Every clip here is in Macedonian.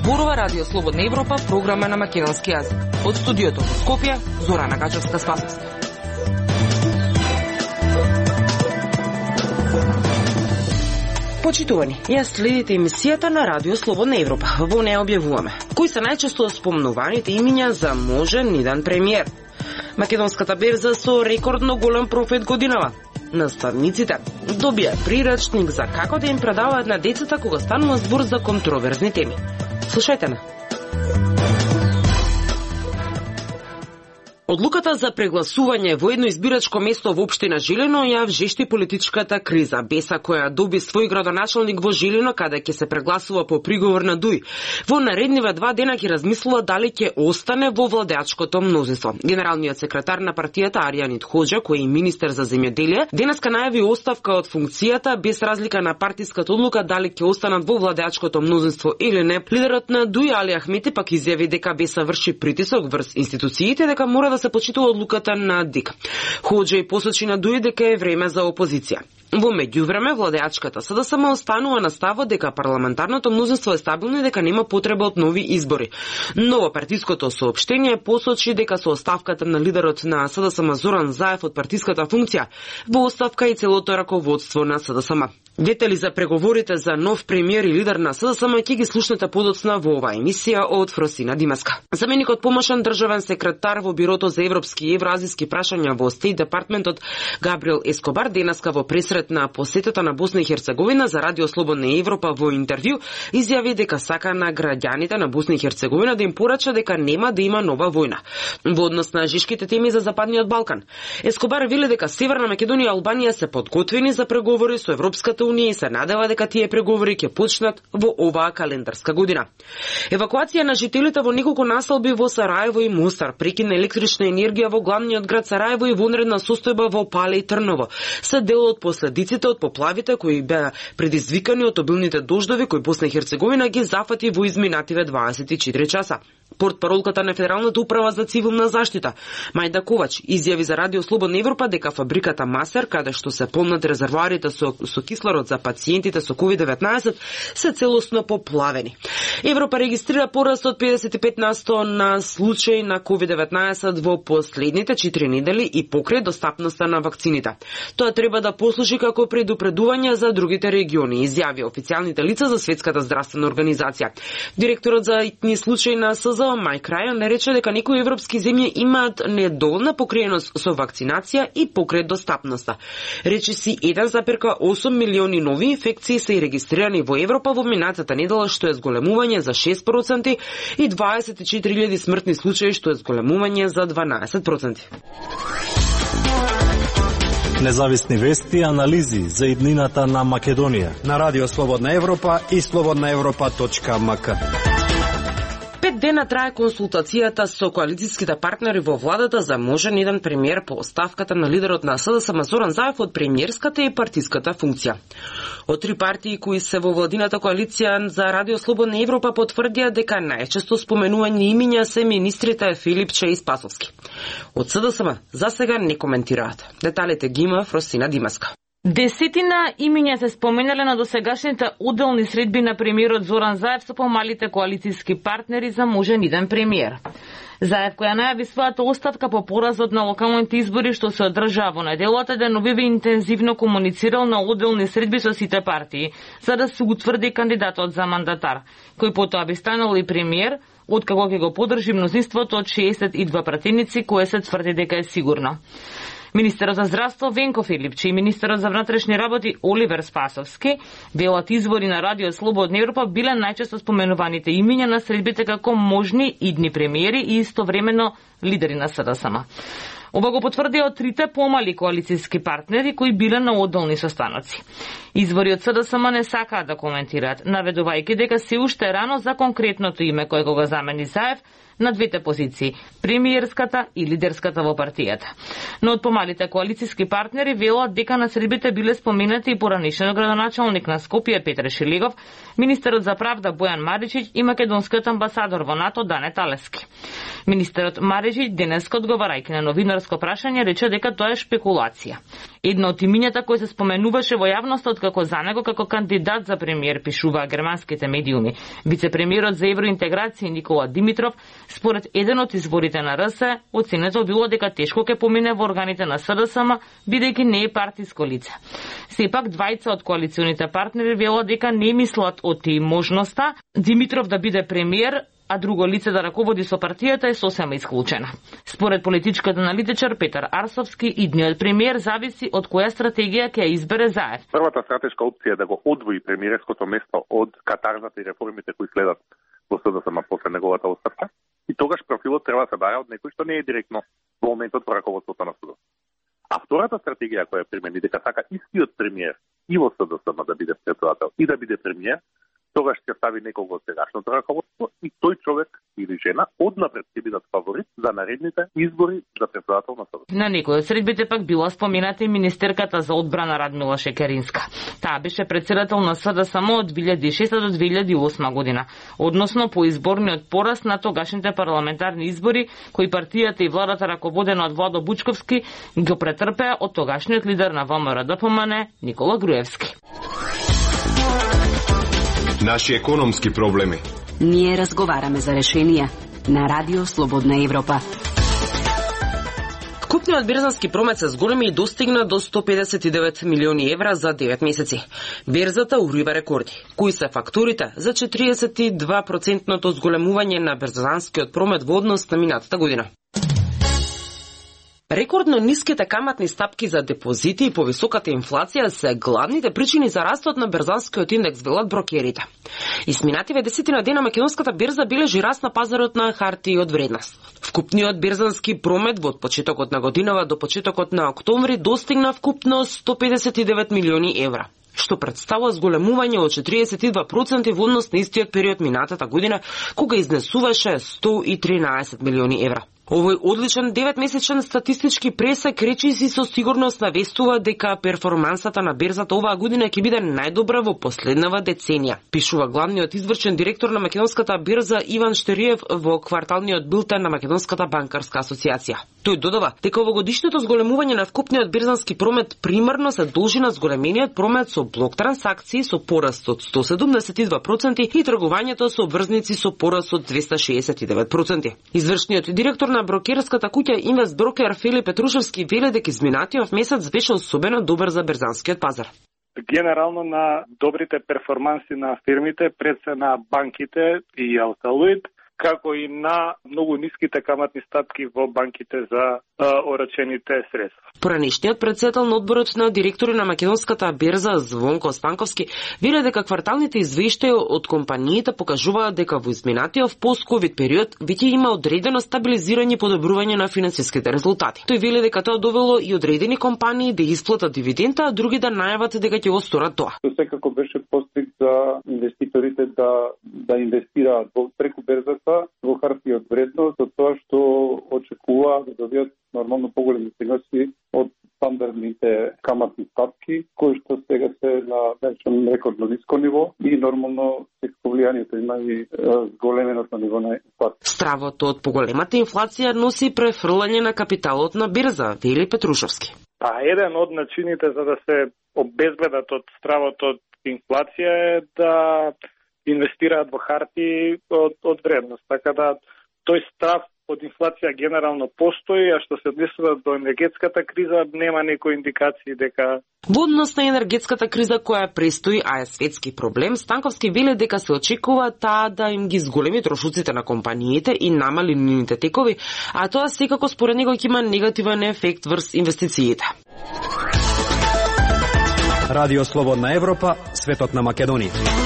Зборува Радио Слободна Европа, програма на македонски јазик. Од студиото во Скопје, Зорана Гачевска-Спасовска. Почитувани, ја следите емисијата на Радио Слободна Европа. Во неја објавуваме кои се најчесто спомнуваните имиња за можен иден премиер. Македонската берза со рекордно голем профит годинава. Наставниците добија прирачник за како да им предаваат на децата кога станува збор за контроверзни теми. Слушајте на. Одлуката за прегласување во едно избирачко место во општина Жилино ја вжешти политичката криза. Беса која доби свој градоначалник во Жилино, каде ќе се прегласува по приговор на ДУИ. Во наредниве 2 дена ќе размислува дали ќе остане во владеачкото мнозинство. Генералниот секретар на партијата Аријанит Хоџа, кој е министер за земјоделие, денеска најави оставка од функцијата без разлика на партиската одлука дали ќе останат во владеачкото мнозинство или не. Лидерот на ДУИ Али Ахмети пак изјави дека Беса врши притисок врз институциите дека мора да се почитува одлуката на ДИК. Хоџа и посочи на ДУИ дека е време за опозиција. Во меѓувреме, владеачката СДСМ останува на ставот дека парламентарното мнозинство е стабилно и дека нема потреба од нови избори. Ново партиското соопштение посочи дека со оставката на лидерот на СДСМ Зоран Заев од партиската функција, во оставка и целото раководство на СДСМ. Детали за преговорите за нов премиер и лидер на СДСМ ќе ги слушнете подоцна во оваа емисија од Фросина Димаска. Заменикот помошен државен секретар во Бирото за европски и евразиски прашања во Стейт департментот Габриел Ескобар денеска во пресрет на посетата на Босна и Херцеговина за Радио Слободна Европа во интервју изјави дека сака на граѓаните на Босна и Херцеговина да им порача дека нема да има нова војна. Во однос на жешките теми за Западниот Балкан, Ескобар вели дека Северна Македонија и Албанија се подготвени за преговори со Европската Унија и се надева дека тие преговори ќе почнат во оваа календарска година. Евакуација на жителите во неколку населби во Сараево и Мостар, прекин на електрична енергија во главниот град Сараево и вонредна состојба во Пале и Трново се дел од последиците од поплавите кои беа предизвикани од обилните дождови кои Босна и Херцеговина ги зафати во изминативе 24 часа. Портпаролката на Федералната управа за цивилна заштита, Мајда Ковач, изјави за Радио Слободна Европа дека фабриката Масер, каде што се полнат резервоарите со кислород за пациентите со COVID-19, се целосно поплавени. Европа регистрира пораст од 55% на случаи на COVID-19 во последните 4 недели и покрај достапноста на вакцините. Тоа треба да послужи како предупредување за другите региони, изјави официјалните лица за Светската здравствена организација. Директорот за итни случаи на СЗО Майк Рајан рече дека некои европски земји имаат недоволна покриеност со вакцинација и покрај достапноста. Речиси 1,8 милиони нови инфекции се регистрирани во Европа во минатата недела, што е зголемување за 6% и 24.000 смртни случаи, што е зголемување за 12%. Независни вести и анализи за иднината на Македонија на Радио Слободна Европа и slobodnaevropa.mk. 5 дена трае консултацијата со коалицијските партнери во владата за можен еден премиер по оставката на лидерот на СДСМ Зоран Заев од премиерската и партиската функција. Од 3 партии кои се во владината коалиција за Радио Слободна Европа потврдија дека најчесто споменување имиња се министрите Филипче и Спасовски. Од СДСМ за сега не коментираат. Деталите ги има Фросина Димаска. Десетина имиња се споменале на досегашните уделни средби на премиерот Зоран Заев со помалите коалицијски партнери за можен иден премиер. Заев, која најави својата оставка по поразот на локалните избори што се одржаа во неделата, деновиве интензивно комуницирал на уделни средби со сите партии, за да се утврди кандидатот за мандатар, кој потоа би станал и премиер, откако ќе го подржи мнозинството од 62 пратеници, кое се тврди дека е сигурно. Министерот за здравство Венко Филипче и министерот за внатрешни работи Оливер Спасовски велат извори на Радио Слободна Европа биле најчесто споменуваните имиња на средбите како можни идни премиери и истовремено лидери на СДСМ. Ова го потврдија од 3 помали коалицијски партнери кои биле на одделни состаноци. Извори од СДСМ не сакаат да коментираат, наведувајќи дека се уште рано за конкретното име кое го замени Заев на двете позиции, премиерската и лидерската во партијата. Но од помалите коалицијски партнери велат дека на средбите биле споменати и поранешниот градоначалник на Скопје Петре Шилигов, министерот за правда Бојан Маричич и македонскиот амбасадор во НАТО Дане Талески. Министерот Маричич денеска одговарајќи на новинарско нотарско прашање рече дека тоа е шпекулација. Едно од имињата кој се споменуваше во јавноста како за него како кандидат за премиер, пишуваа германските медиуми. Вице-премиерот за евроинтеграција Никола Димитров, според еден од изворите на РС, оценето било дека тешко ќе помине во органите на СДСМ, бидејќи не е партиско лице. Сепак, двајца од коалиционите партнери велат дека не мислат о тие можноста Димитров да биде премиер, а друго лице да раководи со партијата е сосема исклучена. Според политичкиот аналитичар Петар Арсовски, идниот премиер зависи од која стратегија ќе избере ЗАЕВ. Првата стратешка опција е да го одвои премиерското место од катарзата и реформите кои следат во СДСМ после неговата оставка, и тогаш профилот треба да се бара од некој што не е директно во моментот во раководството на судот. А втората стратегија која примени дека сака истиот премиер и во СДСМ да биде председател и да биде премиер, тогаш ќе стави некого од сегашното раководство и тој човек или жена однапред ќе бидат фаворит за наредните избори за председател на СДСМ. На некој од средбите пак била спомината и министерката за одбрана Радмила Шекеринска. Таа беше председател на СДСМ од 2006 до 2008 година, односно по изборниот пораз на тогашните парламентарни избори кои партијата и владата раководена од Владо Бучковски го претрпеа од тогашниот лидер на ВМРО-ДПМН Никола Груевски. Наши економски проблеми. Ние разговараме за решенија на Радио Слободна Европа. Вкупниот берзански промет се зголеми и достигна до 159 милиони евра за 9 месеци. Берзата урива рекорди. Кои се факторите за 42% зголемување на берзанскиот промет во однос на минатата година? Рекордно ниските каматни стапки за депозити и повисоката инфлација се главните причини за растот на берзанскиот индекс, велат брокерите. Изминативе 10 дена македонската берза бележи раст на пазарот на хартии од вредност. Вкупниот берзански промет од почетокот на годинава до почетокот на октомври достигна вкупно 159 милиони евра, што представува зголемување од 42% во однос на истиот период минатата година, кога изнесуваше 113 милиони евра. Овој одличен 9-месечен статистички пресек речиси со сигурност навестува дека перформансата на берзата оваа година ќе биде најдобра во последнава деценија, пишува главниот извршен директор на македонската берза Иван Штериев во кварталниот билтен на Македонската банкарска асоциација. Тој додава дека овогодишното зголемување на вкупниот берзански промет примарно се должи на зголемениот промет со блок трансакции со пораст од 172% и тргувањето со обврзници со пораст од 269%. Извршниот директор на брокерската куќа Инвестброкер Филип Петрушевски веле дека изминатиот месец беше особено добар за берзанскиот пазар. Генерално на добрите перформанси на фирмите пред се на банките и Алталуид, како и на многу ниските каматни стапки во банките за орачените средства. Поранешниот председател на одборот на директори на македонската берза Звонко Станковски веле дека кварталните извештаи од компаниите покажуваат дека во изминатиот пост-ковид период веќе има одредено стабилизирање и подобрување на финансиските резултати. Тој веле дека тоа довело и одредени компании да исплатат дивиденда, а други да најават дека ќе го сторат тоа. Секако беше постиг за инвеститорите да инвестираат преку берзата во хартии од вредност, од тоа што очекува да добијат нормално поголеми приноси од стандардните каматни стапки, кои што сега се на рекордно ниско ниво и нормално влијанието има и зголеменото ниво на инфлација. Стравото од поголемата инфлација носи префрлање на капиталот на берза, вели Петрушевски. Еден од начините за да се обезбедат од стравото од инфлација е да инвестираат во хартии од вредност. Така да тој страв од инфлација генерално постои, а што се однесува до енергетската криза, нема некои индикации дека... Во однос на енергетската криза која престои, а е светски проблем, Станковски веле дека се очекува таа да им ги зголеми трошоците на компаниите и намали нивните текови, а тоа секако според него ќе има негативен ефект врз инвестициите. Радио Слободна Европа, светот на Македонија.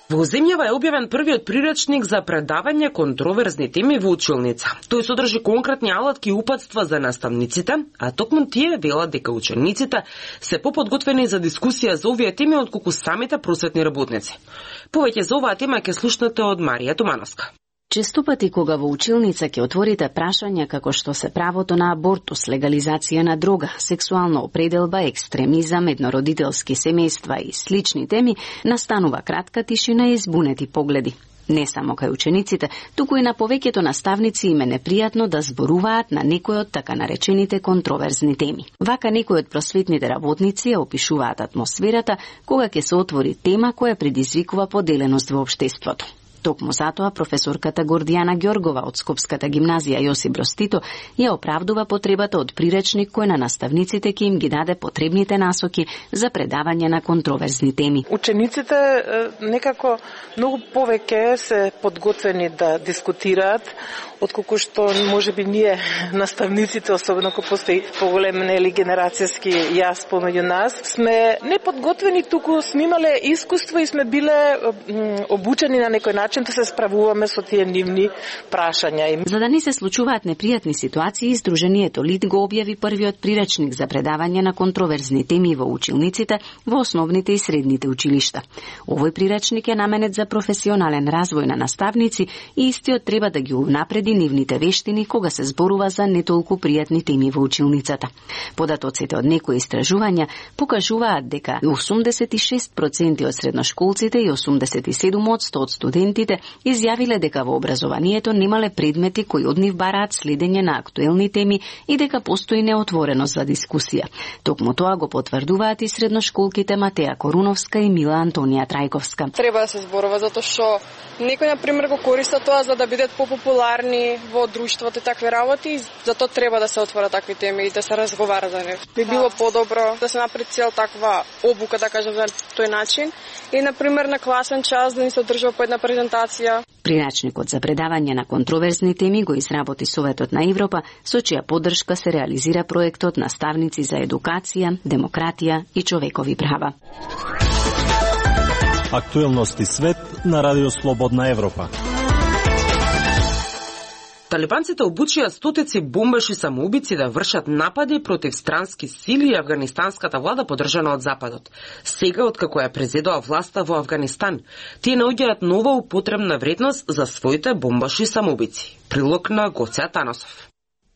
Во земјава е објавен првиот приречник за предавање контроверзни теми во училница. Тој содржи конкретни алатки и упатства за наставниците, а токму тие велат дека учениците се поподготвени за дискусија за овие теми отколку самите просветни работници. Повеќе за оваа тема ќе слушнете од Марија Тумановска. Често пати кога во училница ќе отворите прашања како што се правото на абортус, легализација на дрога, сексуална определба, екстремизам, еднородителски семејства и слични теми, настанува кратка тишина и збунети погледи. Не само кај учениците, туку и на повеќето наставници им е непријатно да зборуваат на некој од така наречените контроверзни теми. Вака некои од просветните работници ја опишуваат атмосферата кога ќе се отвори тема која предизвикува поделеност во општеството. Токму затоа професорката Гордијана Ѓоргова од Скопската гимназија Јосип Броз Тито ја оправдува потребата од приречник кој на наставниците ќе им ги даде потребните насоки за предавање на контроверзни теми. Учениците некако многу повеќе се подготвени да дискутираат отколку што можеби ние наставниците, особено кога постои поголем генерацијски јас помеѓу нас, сме неподготвени, туку сме имале искуство и сме биле обучени на некој начин да се справуваме со тие нивни прашања. За да не се случуваат непријатни ситуации, Сдруженијето ЛИД го објави првиот приречник за предавање на контроверзни теми во училниците во основните и средните училишта. Овој приречник е наменет за професионален развој на наставници и истиот треба да ги унапреди нивните вештини кога се зборува за не толку пријатни теми во училницата. Податоците од некои истражувања покажуваат дека 86% од средношколците и 87% од студентите изјавиле дека во образованието немале предмети кои од нив бараат следење на актуелни теми и дека постои неотвореност за дискусија. Токму тоа го потврдуваат и средношколките Матеја Коруновска и Мила Антонија Трајковска. Треба да се зборува затоа што некој на пример го користат тоа за да бидат популарни во друштвото и такви работи, затоа треба да се отворат такви теми и да се разговара за нив. Би било подобро да се направи цел таква обука, да кажем, за тој начин и на пример на класен час да ни се одржува по една презентација. Приречникот за предавање на контроверзни теми го изработи Советот на Европа, со чија поддршка се реализира проектот Наставници за едукација, демократија и човекови права. Актуелности свет на Радио Слободна Европа. Талибанците обучија стотици бомбаши самоубици да вршат напади против странски сили и афганистанската влада поддржана од Западот. Сега, откако ја презедоа власта во Афганистан, тие наоѓаат нова употребна вредност за своите бомбаши самоубици. Прилог на Гоце Таносов.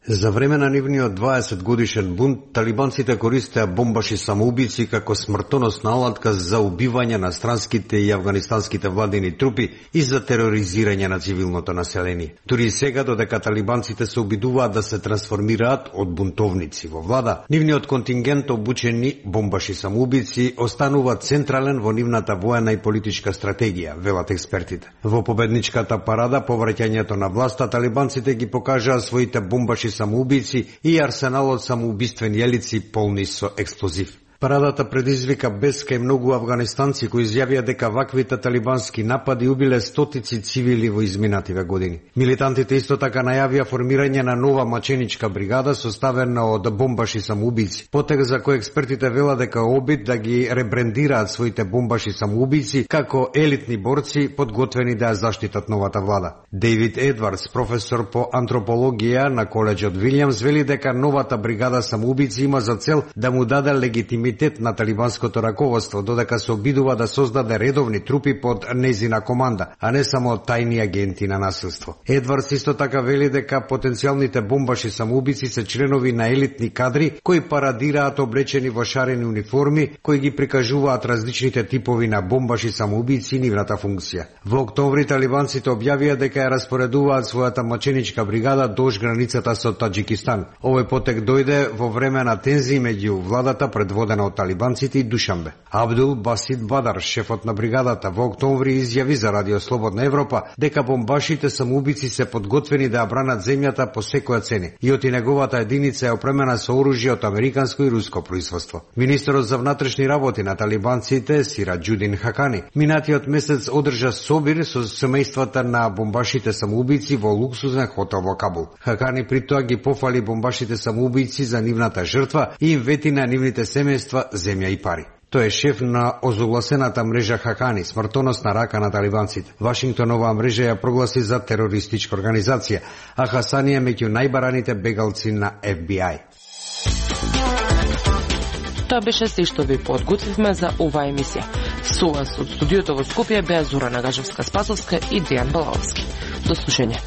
За време на нивниот 20 годишен бунт, талибанците користеа бомбаши самоубици како смртоносна алатка за убивање на странските и афганистанските владени трупи и за тероризирање на цивилното население. Дури и сега, додека талибанците се обидуваат да се трансформираат од бунтовници во влада, нивниот контингент обучени бомбаши самоубици останува централен во нивната воена и политичка стратегија, велат експертите. Во победничката парада по враќањето на власта, талибанците ги покажаа своите бомбаши самоубици и арсеналот самоубиствени елици полни со експлозив. Парадата предизвика бес кај многу афганистанци кои изјавија дека ваквите талибански напади убиле стотици цивили во изминативе години. Милитантите исто така најавија формирање на нова маченичка бригада составена од бомбаши самоубици. Потег за кој експертите велат дека обид да ги ребрендираат своите бомбаши самоубици како елитни борци подготвени да ја заштитат новата влада. Дейвид Едвардс, професор по антропологија на коледжот Вилјамс, вели дека новата бригада самоубици има за цел да му даде легитимитет на талибанското раководство, додека се обидува да создаде редовни трупи под незина команда, а не само тајни агенти на насилство. Едвардс исто така вели дека потенцијалните бомбаши самоубици се членови на елитни кадри кои парадираат облечени во шарени униформи, кои ги прикажуваат различните типови на бомбаши самоубици и нивната функција. Во октомври талибанците објавија дека ја распоредуваат својата маченичка бригада дуж границата со Таџикистан. Овој потек дојде во време на тензии меѓу владата предводена од талибанците и Душанбе. Абдул Басит Бадар, шефот на бригадата, во октомври изјави за Радио Слободна Европа дека бомбашите самоубици се подготвени да ја бранат земјата по секоја цена и оти неговата единица е опремена со оружје од американско и руско производство. Министерот за внатрешни работи на талибанците, Сираџудин Хакани, минатиот месец одржа собир со семејствата на бомбашите самоубици во луксузен хотел во Кабул. Хакани при тоа ги пофали бомбашите самоубици за нивната жртва и им вети на нивните семејства земја и пари. Тој е шеф на озогласената мрежа Хакани, смртоносна рака на талибанците. Вашингтон оваа мрежа ја прогласи за терористичка организација, а Хасани е меѓу најбараните бегалци на FBI. Тоа беше се што ви подготвивме за оваа емисија. Со вас од студиото во Скопје беа Зора Нагажевска-Спасовска и Дејан Балаовски. До слушање.